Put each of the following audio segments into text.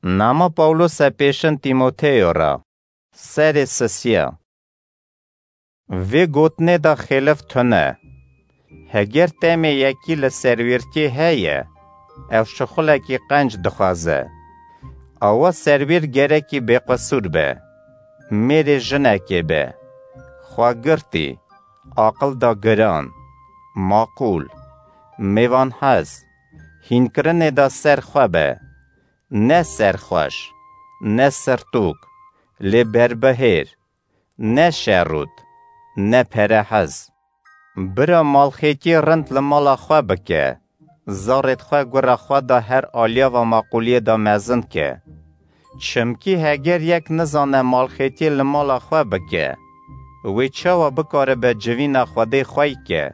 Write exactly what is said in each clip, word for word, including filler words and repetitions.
Nama Pawlose pêşin Tîmoteyo re. Serê sisiya. Vê gotinê de xêlif tune. Heger temê yekî li serwîrtiyê heye, ew şixulekî qenc dixwaze. Awa serwîr gerekî bêqisûr be. Mêrê jinekê be. Xwegirtî, aqil da giran, maqûl, mêvanhez, hînkirinê de ser xwe be. Ne serxweş, ne sirtûk, lê berbihêr, ne şerût, ne perehez. Bira malxêtiyê rind li mala xwe bike, zarêd xwe gura xwe da her aliyava maqûliyê de mezin ke. Çimkî heger yek nizane malxêtiyê li mala xwe bike, wê çawa bikaribe civîna Xwedê xwey ke?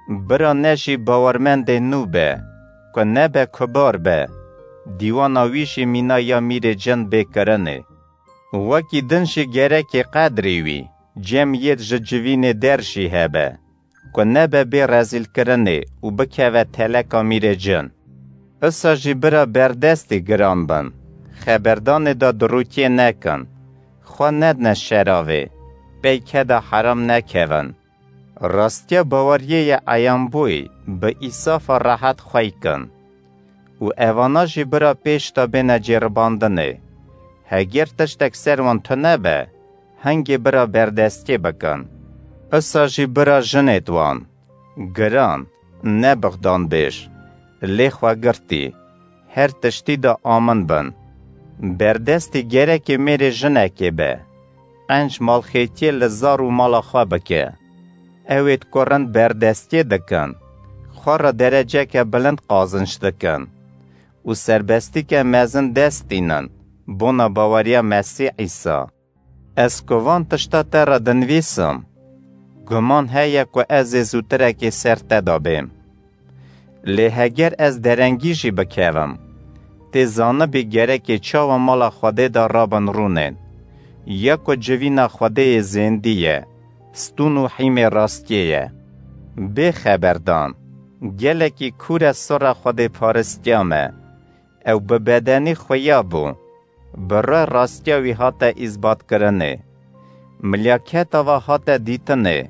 Bira ne jî bawermendê nû be, ku nebe kubar be, dîwana wî jî mîna ya mîrê cin bê kirinê. Wekî din jî gerekê qedrê wî, cem yêd ji civînê der jî hebe, ku nebe bê rezîlkirinê û bikeve teleka mîrê cin. Isa jî bira berdestî giran bin, xeberdanê de dirûtiyê nekin, xwe nedne şeravê, pey keda heram nekevin. Rastiya baweriyê ye eyanbûyî bi îsafa rehet xwey kin. Û evana jî bira pêş de bêne cêribandinê. Heger tiştek ser wan tune be, hingê bira berdestiyê bikin. Isa jî bira jinêd wan, giran, ne bixdanbêj, lê xwegirtî, her tiştî de amin bin. Berdestî gerekê mêrê jinekê be. Qenc malxêtiyê li zar û mala xwe bike. Ewêd ku rind berdestiyê dikin, xwe re dereceke bilind qazinc dikin û serbestîke mezin dest tînin bona baweriya Mesîh Îsa. Ez ku van tişta te re dinivîsim, guman heye ku ez ê zûtirekê ser te de bêm. Lê heger ez derengî jî bikevim, tê zanibî gerekê çawa mala Xwedê de rabin rûnên, ya ku civîna Xwedê yê zêndî ye, stûn û hîmê rastiyê ye. Bê xeberdan, gelekî kûr e sora xwedêparistiya me. Ew bi bedenî xuya bû, bi re rastiya wî hate îzbatkirinê. Milyaketa ve hate dîtinê,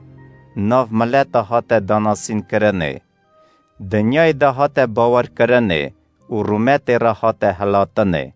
nav mileta hate danasînkirinê. Dinyayê de hate bawerkirinê û rûmetê re hate hilatinê.